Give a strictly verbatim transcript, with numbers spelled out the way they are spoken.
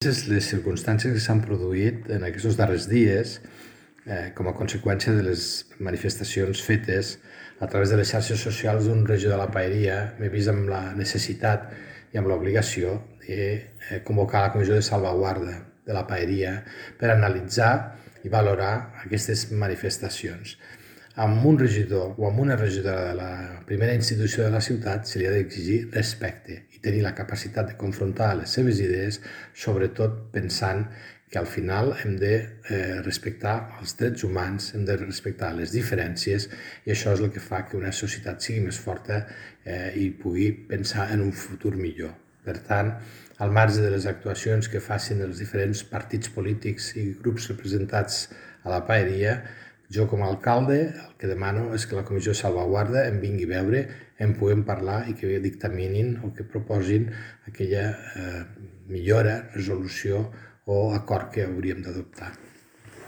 Les circumstàncies que s'han produït en aquests darrers dies eh, com a conseqüència de les manifestacions fetes a través de les xarxes socials d'un regidor de la Paeria, m'he vist amb la necessitat i amb l'obligació de eh, convocar la Comissió de Salvaguarda de la Paeria per analitzar i valorar aquestes manifestacions. Amb un regidor o amb una regidora de la primera institució de la ciutat se li ha d'exigir respecte i tenir la capacitat de confrontar les seves idees, sobretot pensant que al final hem de eh, respectar els drets humans, hem de respectar les diferències i això és el que fa que una societat sigui més forta eh, i pugui pensar en un futur millor. Per tant, al marge de les actuacions que facin els diferents partits polítics i grups representats a la Paeria, jo com a alcalde el que demano és que la Comissió de Salvaguarda em vingui a veure, en puguem parlar i que dictaminin o que proposin aquella eh, millora, resolució o acord que hauríem d'adoptar.